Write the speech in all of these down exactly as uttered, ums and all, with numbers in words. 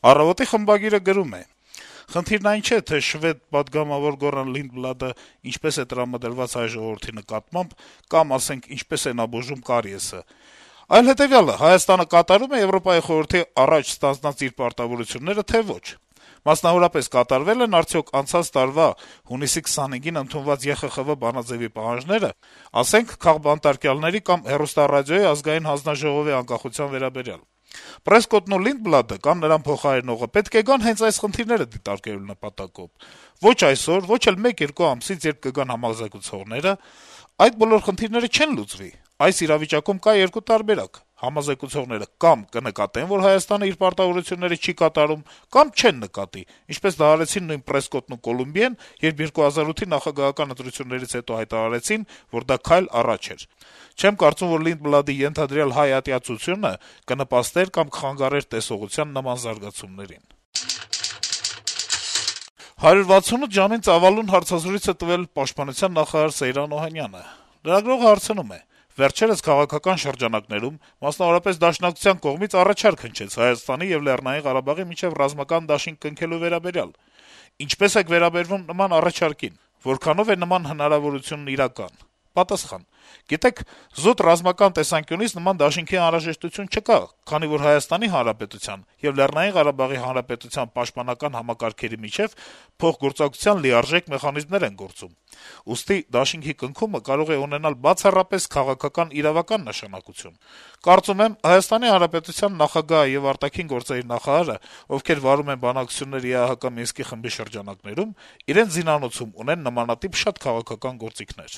«Առավոտ»-ի խմբագիրը գրում է. - «Խնդիրն այն չէ, թե շվեդ պատգամավոր Գորան Լինդբլադը ինչպես է տրամադրված հայ ժողովրդի նկատմամբ, կամ, ասենք, ինչպես է նա բուժում կարիեսը, այլ հետեւյալը. Հայաստանը կատարում է Եվրոպայի խորհրդի առաջ ստանձնած իր պարտավորությունները, թե ոչ: Մասնավորապես, կատարվե՞լ են արդյոք անցած տարվա հունիսի քսանհինգին ընդունված Է Խ Խ Վ բանաձեւի պահանջները, ասենք, քաղբանտարկյալների կամ հեռուստառադիոյի ազգային հանձնաժողովի անկախության վերաբերյալ: Պրեսկոտն ու Լինդբլադը կամ նրան փոխարինողը պետք է գան հենց այս խնդիրները դիտարկելու նպատակով: Ոչ այսօր, ոչ էլ մեկ-երկու ամսից, երբ կգան համազեկուցողները: Այդ բոլոր խնդիրները չեն լուծվի: Այս իրավիճակում կա երկու տարբերակ. համազեկուցողները կամ կնկատեն, որ Հայաստանը իր պարտավորությունները չի կատարում, կամ չեն նկատի, ինչպես դա արեցին նույն Պրեսկոտն ու Կոլումբիեն, երբ երկու հազար ութի նախագահական ընտրություններից հետո հայտարարեցին, որ դա քայլ առաջ էր: Չեմ կարծում, որ Լինդբլադի ենթադրյալ հայ ատյացությունը կնպաստեր կամ կխանգարեր տեսողության նման զարգացումներին»: «հարյուր վաթսունութ ժամ»-ին ծավալուն հարցազրույց է տվել Պաշտպանության նախարար Սեյրան Օհանյանը: Լրագրողը հարցնում է. - «Վերջերս քաղաքական շրջանակներում, մասնավորապես Դաշնակցության կողմից առաջարկ հնչեց Հայաստանի եւ Լեռնային Ղարաբաղի միջեւ ռազմական դաշինք կնքելու վերաբերյալ: Ինչպե՞ս եք վերաբերվում նման առաջարկին: Որքանո՞վ է նման հնարավորությունն իրական»: Պատասխան. - «Գիտեք, զուտ ռազմական տեսանկյունից նման դաշինքի անհրաժեշտություն չկա, քանի որ Հայաստանի Հանրապետության եւ Լեռնային Ղարաբաղի Հանրապետության պաշտպանական համակարգերի միջեւ փոխգործակցության լիարժեք մեխանիզմներ են գործում: Ուստի դաշինքի կնքումը կարող է ունենալ բացառապես քաղաքական-իրավական նշանակություն: Կարծում եմ, Հայաստանի Հանրապետության նախագահը եւ արտաքին գործերի նախարարը, ովքեր վարում են բանակցություններ ԵԱՀԿ Մինսկի խմբի շրջանակներում, իրենց զինանոցում ունեն նմանատիպ շատ քաղաքական գործիքներ»: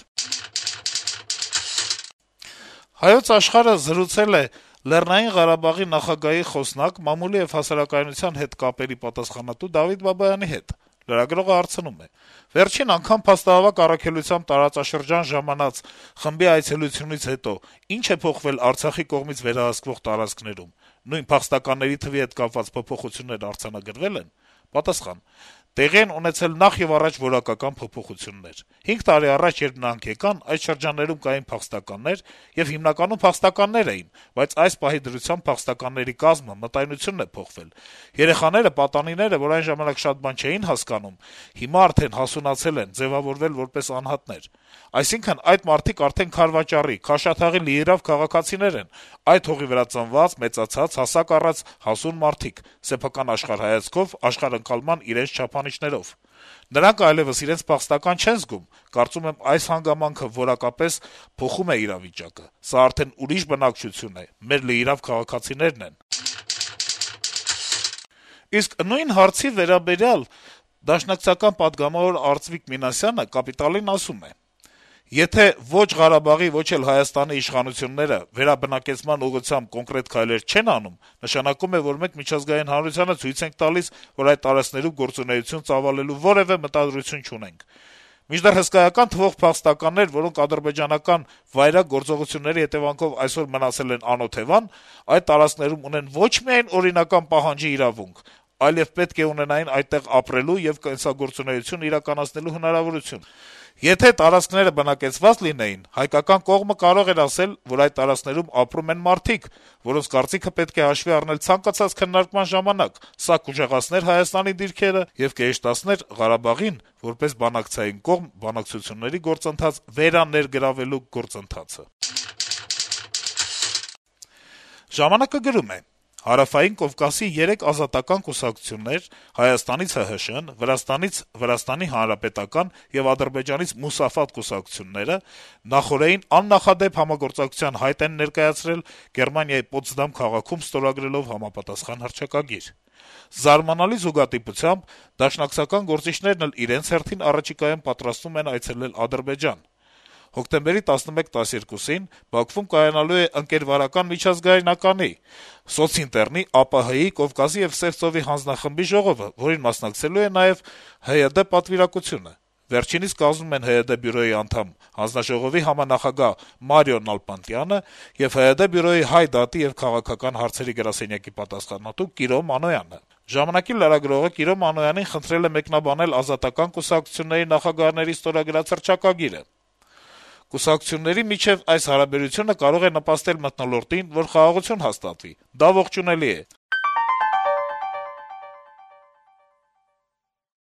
«Հայոց Աշխարհ»-ը զրուցել է Լեռնային Ղարաբաղի նախագահի խոսնակ, մամուլի եւ հասարակայնության հետ կապերի պատասխանատու Դավիթ Բաբայանի հետ: Լրագրողը հարցնում է. - «Վերջին անգամ փաստահավաք առաքելությամբ տարածաշրջան ժամանած խմբի այցելությունից հետո ի՞նչ է փոխվել Արցախի կողմից վերահսկվող տարածքներում: Նույն փախստականների թվի հետ կապված փոփոխություններ արձանագրվե՞լ են»: Պատասխան. - «Տեղի են ունեցել նախ եւ առաջ որակական փոփոխություններ: Հինգ տարի առաջ, երբ նրանք եկան, այդ շրջաններում կային փախստականներ, եւ հիմնականում փախստականներ էին, բայց այս պահի դրությամբ փախստականների կազմը, մտայնությունն է փոխվել: Երեխաները, պատանիները, որ այն ժամանակ շատ բան չէին հասկանում, հիմա արդեն հասունացել են, ձեւավորվել որպես անհատներ: Այսինքն` այդ մարդիկ արդեն քարվաճառի, քաշաթաղի լիիրավ քաղաքացիներ են, այդ հողի վրա ծնված, մեծացած, հասակ առած հասուն մարդիկ` սեփական աշխարհայացքով, աշխարհընկալման իրենց չափանիշներով: Նրանք այլեւս իրենց փախստական չեն զգում: Կարծում եմ, այս հանգամանքը որակապես փոխում է իրավիճակը: Սա արդեն ուրիշ բնակչություն է, մեր լիիրավ քաղաքացիներն են»: Իսկ նույն հարցի վերաբերյալ դաշնակցական պատգամավոր Արծվիկ Մինասյանը «Կապիտալ»-ին ասում է. - «Եթե ո՛չ Ղարաբաղի, ո՛չ էլ Հայաստանի իշխանությունները վերաբնակեցման ուղղությամբ կոնկրետ քայլեր չեն անում, նշանակում է, որ մենք միջազգային հանրությանը ցույց ենք տալիս, որ այդ տարածքներում գործունեություն ծավալելու որեւէ մտադրություն չունենք: Մինչդեռ հսկայական թվով փախստականներ, որոնք ադրբեջանական վայրագ գործողությունների հետեւանքով այսօր մնացել են անօթեւան, այդ տարածքներում ունեն ոչ միայն օրինական պահանջի իրավունք, այլեւ պետք է ունենային այդտեղ ապրելու եւ կենսագործունեություն իրականացնելու հնարավորություն: Եթե տարածքները բնակեցված լինեին, հայկական կողմը կարող էր ասել, որ այդ տարածքներում ապրում են մարդիկ, որոնց կարծիքը պետք է հաշվի առնել ցանկացած քննարկման ժամանակ: Սա կուժեղացներ Հայաստանի դիրքերը եւ կհեշտացներ Ղարաբաղին, որպես բանակցային կողմ, բանակցությունների գործընթաց վերաներգրավելու գործընթացը»: «Ժամանակ»-ը գրում է. - «Հարավային Կովկասի երեք ազատական կուսակցություններ` Հայաստանից Հ Հ Շ-ն, Վրաստանից Վրաստանի Հանրապետական եւ Ադրբեջանից Մուսաֆատ կուսակցությունները նախօրեին աննախադեպ համագործակցության հայտ են ներկայացրել Գերմանիայի Պոտսդամ քաղաքում ստորագրելով համապատասխան հռչակագիր: Զարմանալի զուգադիպությամբ դաշնակցական գործիչներն էլ իրենց հերթին առաջիկայում պատրաստվում են այցելել Ադրբեջան: Հոկտեմբերի տասնմեկ տասներկուսին Բաքվում կայանալու է ընկերվարական միջազգայնականի, սոցինտեռնի, ԱՊՀ-ի, Կովկասի եւ Սև ծովի հանձնախմբի ժողովը, որին մասնակցելու է նաեւ Հ Y D պատվիրակությունը: Վերջինիս կազմում են Հ Y D բյուրոյի անդամ, հանձնաժողովի համանախագահ Մարիո Նալբանդյանը եւ Հ Y D բյուրոյի Հայ դատի եւ քաղաքական հարցերի գրասենյակի պատասխանատու Կիրո Մանոյանը: «Ժամանակ»-ի լրագրողը Կիրո Մանոյանին խնդրել է մեկնաբանել ազատական կուսակցությունների նախագահների ստորագրած հռչակագիրը: «Կուսակցությունների միջեւ այս հարաբերությունը կարող է նպաստել մթնոլորտին, որ խաղաղություն հաստատվի: Դա ողջունելի է: